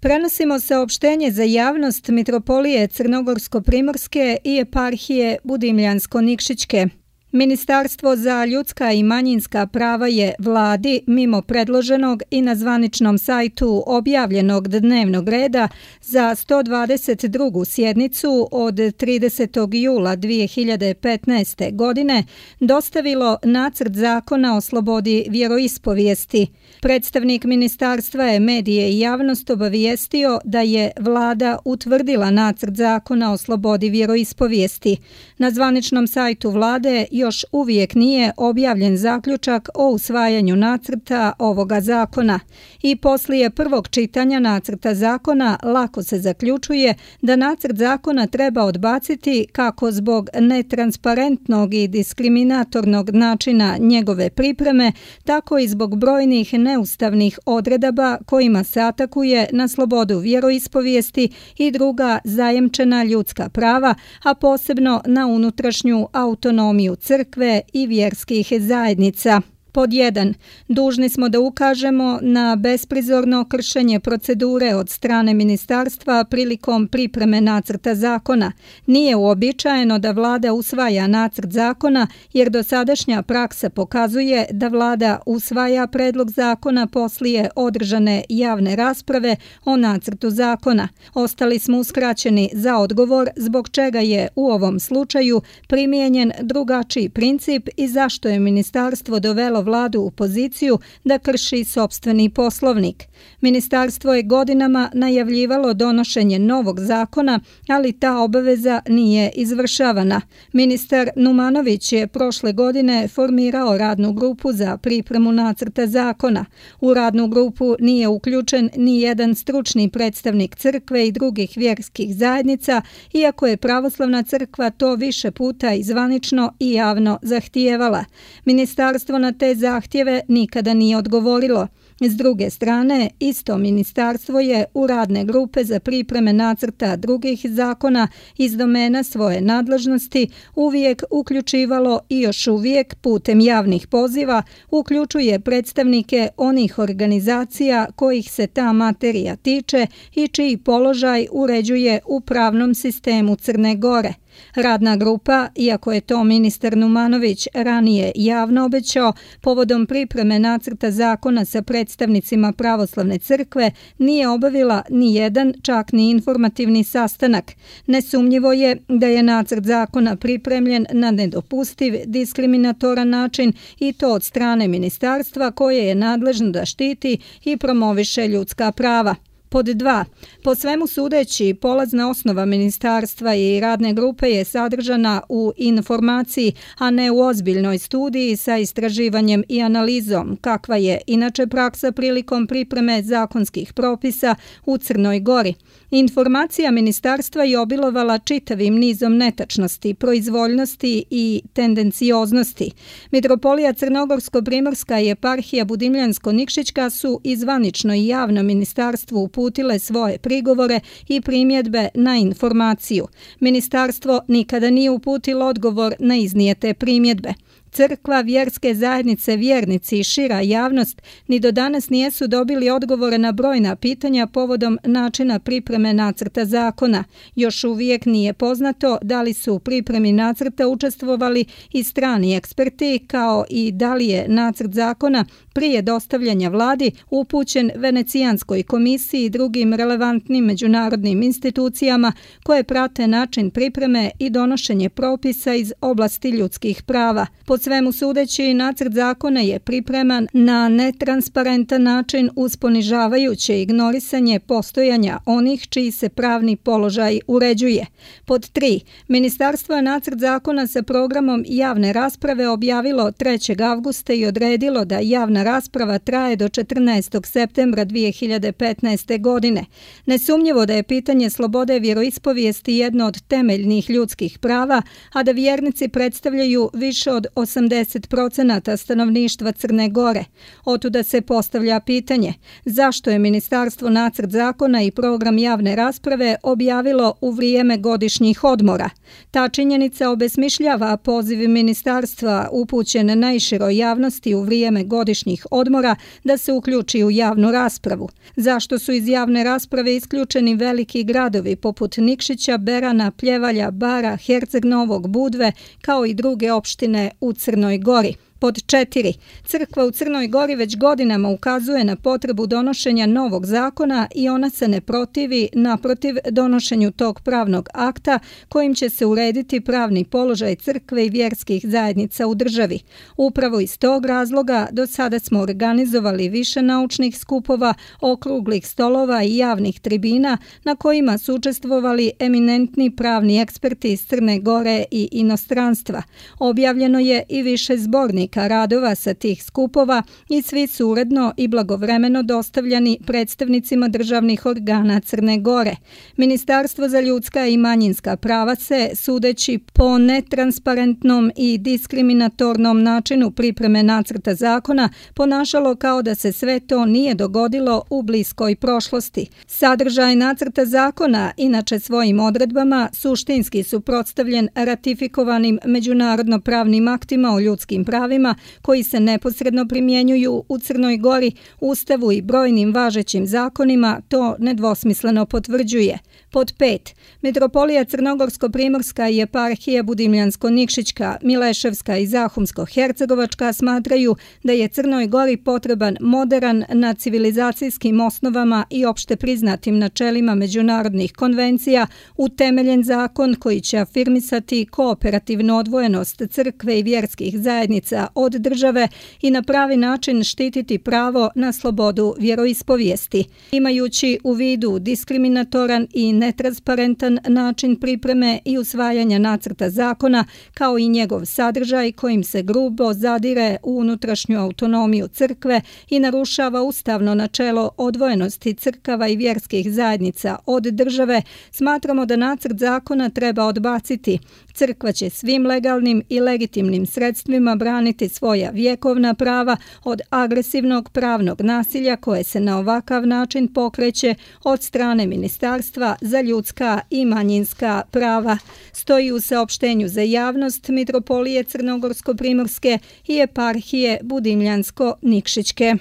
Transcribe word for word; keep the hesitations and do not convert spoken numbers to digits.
Prenosimo saopštenje za javnost Mitropolije Crnogorsko-primorske i Eparhije Budimljansko-Nikšićke. Ministarstvo za ljudska i manjinska prava je vladi, mimo predloženog i na zvaničnom sajtu objavljenog dnevnog reda za sto dvadeset drugu sjednicu od tridesetog jula dvije hiljade petnaeste. godine, dostavilo nacrt zakona o slobodi vjeroispovijesti. Predstavnik ministarstva je medije i javnost obavijestio da je vlada utvrdila nacrt zakona o slobodi vjeroispovijesti. Na zvaničnom sajtu vlade još uvijek nije objavljen zaključak o usvajanju nacrta ovoga zakona. I poslije prvog čitanja nacrta zakona lako se zaključuje da nacrt zakona treba odbaciti kako zbog netransparentnog i diskriminatornog načina njegove pripreme, tako i zbog brojnih neustavnih odredaba kojima se atakuje na slobodu vjeroispovijesti i druga zajemčena ljudska prava, a posebno na unutrašnju autonomiju crkve i vjerskih zajednica. Pod jedan. Dužni smo da ukažemo na besprizorno kršenje procedure od strane ministarstva prilikom pripreme nacrta zakona. Nije uobičajeno da vlada usvaja nacrt zakona, jer dosadašnja praksa pokazuje da vlada usvaja predlog zakona poslije održane javne rasprave o nacrtu zakona. Ostali smo uskraćeni za odgovor zbog čega je u ovom slučaju primijenjen drugačiji princip i zašto je ministarstvo dovelo vladu u poziciju da krši sopstveni poslovnik. Ministarstvo je godinama najavljivalo donošenje novog zakona, ali ta obaveza nije izvršavana. Ministar Numanović je prošle godine formirao radnu grupu za pripremu nacrta zakona. U radnu grupu nije uključen ni jedan stručni predstavnik crkve i drugih vjerskih zajednica, iako je pravoslavna crkva to više puta i zvanično i javno zahtijevala. Ministarstvo na te zahtjeve nikada nije odgovorilo. S druge strane, isto ministarstvo je u radne grupe za pripreme nacrta drugih zakona iz domena svoje nadležnosti uvijek uključivalo i još uvijek putem javnih poziva uključuje predstavnike onih organizacija kojih se ta materija tiče i čiji položaj uređuje u pravnom sistemu Crne Gore. Radna grupa, iako je to ministar Numanović ranije javno obećao, povodom pripreme nacrta zakona sa predstavnicima pravoslavne crkve nije obavila ni jedan, čak ni informativni sastanak. Nesumnjivo je da je nacrt zakona pripremljen na nedopustiv, diskriminatoran način i to od strane ministarstva koje je nadležno da štiti i promoviše ljudska prava. Pod dva. Po svemu sudeći, polazna osnova ministarstva i radne grupe je sadržana u informaciji, a ne u ozbiljnoj studiji sa istraživanjem i analizom, kakva je inače praksa prilikom pripreme zakonskih propisa u Crnoj Gori. Informacija ministarstva je obilovala čitavim nizom netačnosti, proizvoljnosti i tendencioznosti. Mitropolija Crnogorsko-primorska i Eparhija Budimljansko-Nikšićka su izvanično i javno ministarstvu uputile svoje prigovore i primjedbe na informaciju. Ministarstvo nikada nije uputilo odgovor na iznijete primjedbe. Crkva, vjerske zajednice, vjernici i šira javnost ni do danas nijesu dobili odgovore na brojna pitanja povodom načina pripreme nacrta zakona. Još uvijek nije poznato da li su u pripremi nacrta učestvovali i strani eksperti, kao i da li je nacrt zakona prije dostavljanja vladi upućen Venecijanskoj komisiji i drugim relevantnim međunarodnim institucijama koje prate način pripreme i donošenje propisa iz oblasti ljudskih prava. Po svemu sudeći, nacrt zakona je pripreman na netransparentan način uz ponižavajuće ignorisanje postojanja onih čiji se pravni položaj uređuje. Pod tri. Ministarstvo je nacrt zakona sa programom javne rasprave objavilo trećeg avgusta i odredilo da javna rasprava traje do četrnaestog septembra dvije hiljade petnaeste. godine. Nesumnjivo da je pitanje slobode vjeroispovijesti jedno od temeljnih ljudskih prava, a da vjernici predstavljaju više od osamdeset osamdeset procenata stanovništva Crne Gore. Otuda se postavlja pitanje zašto je ministarstvo nacrt zakona i program javne rasprave objavilo u vrijeme godišnjih odmora. Ta činjenica obesmišljava poziv ministarstva upućen najširoj javnosti u vrijeme godišnjih odmora da se uključi u javnu raspravu. Zašto su iz javne rasprave isključeni veliki gradovi poput Nikšića, Berana, Pljevalja, Bara, Herceg Novog, Budve, kao i druge opštine u Crnoj Gori? Pod četiri. Crkva u Crnoj Gori već godinama ukazuje na potrebu donošenja novog zakona i ona se ne protivi, naprotiv, donošenju tog pravnog akta kojim će se urediti pravni položaj crkve i vjerskih zajednica u državi. Upravo iz tog razloga do sada smo organizovali više naučnih skupova, okruglih stolova i javnih tribina na kojima su učestvovali eminentni pravni eksperti iz Crne Gore i inostranstva. Objavljeno je i više zbornika radova sa tih skupova i svi su uredno i blagovremeno dostavljani predstavnicima državnih organa Crne Gore. Ministarstvo za ljudska i manjinska prava se, sudeći po netransparentnom i diskriminatornom načinu pripreme nacrta zakona, ponašalo kao da se sve to nije dogodilo u bliskoj prošlosti. Sadržaj nacrta zakona, inače svojim odredbama, suštinski suprotstavljen ratifikovanim međunarodno-pravnim aktima o ljudskim pravima koji se neposredno primjenjuju u Crnoj Gori, Ustavu i brojnim važećim zakonima, to nedvosmisleno potvrđuje. Pod pet. Metropolija Crnogorsko-Primorska i eparhija Budimljansko-Nikšićka, Mileševska i Zahumsko-Hercegovačka smatraju da je Crnoj Gori potreban moderan, na civilizacijskim osnovama i opšte priznatim načelima međunarodnih konvencija utemeljen zakon koji će afirmisati kooperativnu odvojenost crkve i vjerskih zajednica od države i na pravi način štititi pravo na slobodu vjeroispovijesti. Imajući u vidu diskriminatoran i netransparentan način pripreme i usvajanja nacrta zakona, kao i njegov sadržaj kojim se grubo zadire u unutrašnju autonomiju crkve i narušava ustavno načelo odvojenosti crkava i vjerskih zajednica od države, smatramo da nacrt zakona treba odbaciti. Crkva će svim legalnim i legitimnim sredstvima braniti svoja vjekovna prava od agresivnog pravnog nasilja koje se na ovakav način pokreće od strane Ministarstva za ljudska i manjinska prava. Stoji u saopštenju za javnost Mitropolije Crnogorsko-Primorske i eparhije Budimljansko-Nikšićke.